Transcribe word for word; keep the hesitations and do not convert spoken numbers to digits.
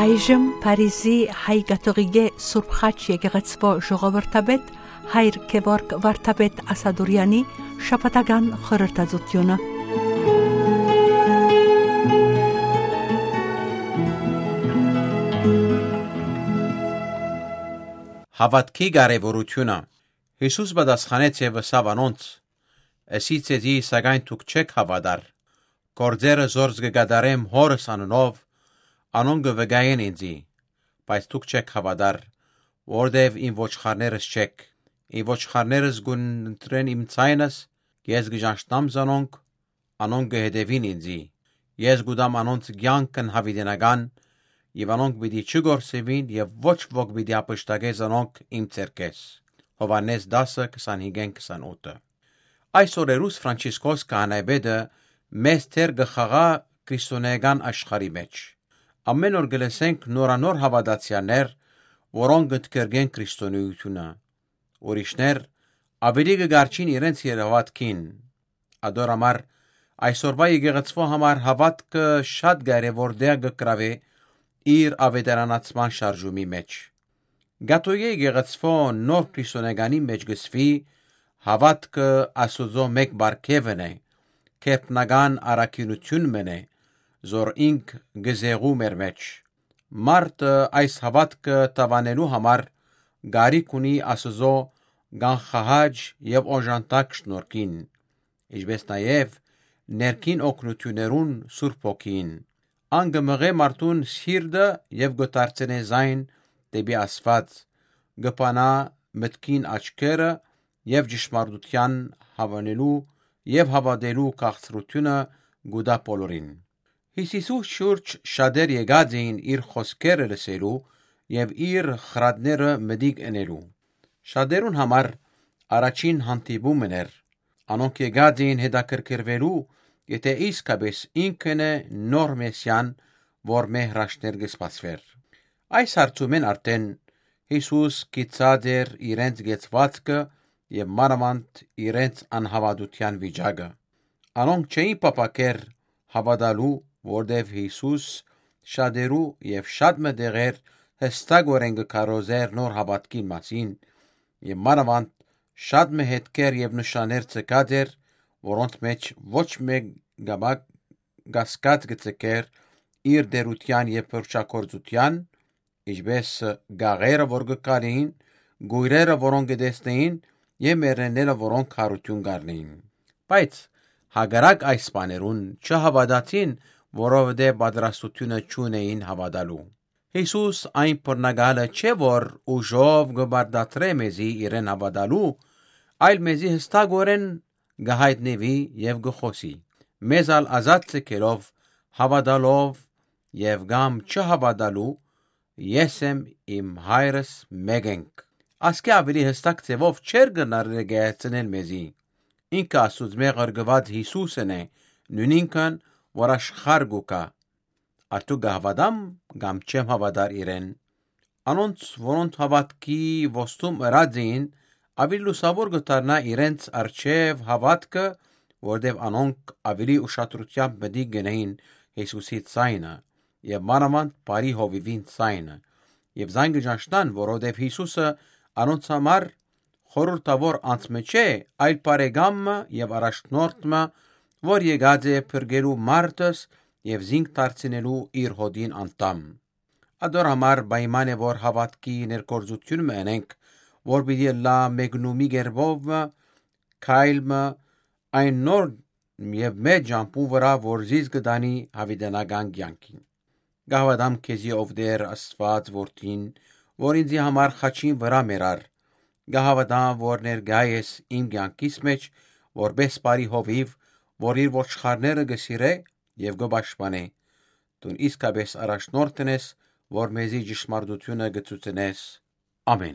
Այժմ Փարիզի հայ կաթողիկէ Սուրբ Խաչ եկեղեցւոյ ժողովրդապետ հայր Գեորգ Վարդապետ Ասատուրեանի շաբաթական խորհրդածութիւնը։ Հաւատքի կարեւորութիւնը։ Յիսուս պատասխանեց եւ ըսաւ անոնց. «Ըսի ձեզի, սակայն դուք չէք հաւատար։ Գործերը, զորս կը կատարեմ Հօրս անունով, անոնք կը վկայեն ինծի, բայց դուք չէք հաւատար, որովհետեւ իմ ոչխարներս չէք։ Իմ ոչխարներս կ'ընտրեն իմ ձայնս, ես կը ճանչնամ զանոնք, անոնք կը հետեւին ինծի։ Ես կու տամ անոնց կեանքն յաւիտենական եւ անոնք պիտի չկորսուին եւ ոչ ոք պիտի յափշտակէ զանոնք իմ ձեռքէս»։ Յովհաննէս տասը, քսանհինգ, քսանութ։ Այս օրերուս Ֆրանցիսկոս քահանայապետը մեծ դեր կը խաղայ քրիստոնէական աշխարհի մէջ։ Ամէն օր կը լսենք նորանոր հաւատացեալներ, որոնք կ'ընդգրկեն քրիստոնէութիւնը։ Ուրիշներ աւելի կը կառչին իրենց երեւաթքին։ Ատոր համար այսօրուա եկեղեցւոյ համար հաւատքը շատ կարեւոր տեղ կը գրաւէ իր աւետարանացման շարժումի մէջ։ Կաթողիկէ եկեղեցւոյ նոր քրիստոնեականի մէջ կ'ըսուի. «Հաւատքը Աստուծոյ մէկ պարգեւն է, գերբնական առաքինութիւն մըն է, զոր ինք կը զեղու մեր մէջ»։ Մարդը այս հաւատքը դաւանելու համար կարիք ունի Աստուծոյ կանխահաճ եւ օժանդակ շնորհքին, ինչպէս նաեւ ներքին օգնութիւններուն Սուրբ Հոգիին։ Ան կը մղէ մարդուն սիրտը եւ կը դարձնէ զայն դէպի Աստուած, կը բանայ մտքին աչքերը եւ ճշմարտութեան հաւանելու եւ հաւատելու քաղցրութիւնը կու տայ բոլորին։ Յիսուսի շուրջ շատեր եկած էին իր խօսքերը լսելու եւ իր խրատները մտիկ ընելու։ Շատերուն համար առաջին հանդիպումն էր։ Անոնք եկած էին հետաքրքրուելու, եթէ իսկապէս ինքն է նոր Մեսիան, որ մեր հրաշքներ կը սպասուէր։ Այս հարցումէն արդէն Յիսուս գիտցած էր իրենց կեցուածքը եւ մանաւանդ իրենց անհաւատութեան վիճակը։ Անոնք չէին փափաքեր հաւատալու, որտեւ Յիսուս շատերու եւ շատ մը տեղեր յստակօրէն կը քարոզէր նոր հաւատքին մասին եւ մանաւանդ շատ մը հետքեր եւ նշաններ ցկած էր, որոնց մէջ ոչ մէկ կամակ կասկած կը ցկէր իր տէրութեան եւ փորձագործութեան, ինչպէս կաղերը, որ կը քալէին, կոյրերը, որոնք կը տեսնէին, եւ մեռելները, որոնք յարութիւն կ'առնէին։ Բայց հակառակ այս բաներուն չհաւատացին, որովհետեւ պատրաստութիւնը չունէին հաւատալու։ Յիսուս այն բռնակալը չէ, որ ուժով կը պարտադրէ մեզի իրեն հաւատալու, այլ մեզի յստակօրէն կը յայտնուի եւ կը խօսի, մեզ ալ ազատ ցկելով, հաւատալով եւ կամ չհաւատալու, «Ես եմ, իմ Հայրս մէկ ենք»։ Ասկէ աւելի յստակ ձեւով չէր կրնար ներկայացնել մեզի։ Ինքը Աստուծմէ ղրկուած Յիսուսն է, նոյնինքն որ աշխարհ կու գայ։ Արդու կը հաւատամ կամ չեմ հաւատար իրեն։ Անոնց, որոնց հաւատքի ոստում ըրած էին, աւելի լուսաւոր կը դառնայ իրենց առջեւ հաւատքը, որտեւ անոնք աւելի ուշադրութեամբ մտիկ կ'ընէին Յիսուսի ձայնը եւ մանաւանդ բարի հովիւին ձայնը, եւ զայն կը ճանչնան, որովհետեւ Յիսուսը անոնց համար խորհրդաւոր անձ մը չէ, այլ բարեկամ մը եւ առաջնորդ մը, որ եկած է փրկելու մարդս եւ զինք դարձնելու իր հօտին անդամ։ Ատոր համար պայման է, որ հաւատքի ներգործութիւն մը ընենք, որ պիտի ըլլայ մեկնումի կերպով մը, քայլ մը, այն նոր եւ մեծ ճամբուն վրայ, որ զիս կը տանի յաւիտենական կեանքին։ Կը հաւատամ քեզի, ով Տէր Աստուած Որդին, որ ինծի համար խաչին վրայ մեռար։ Կը հաւատամ, որ ներկայ ես իմ կեանքիս մէջ, որպէս բարի հովիւ, որ իր ոչխարները կը սիրէ եւ կը պաշտպանէ։ Դուն իսկապէս առաջնորդն ես, որ մեզի ճշմարտութիւնը կը ցուցնես։ Ամէն։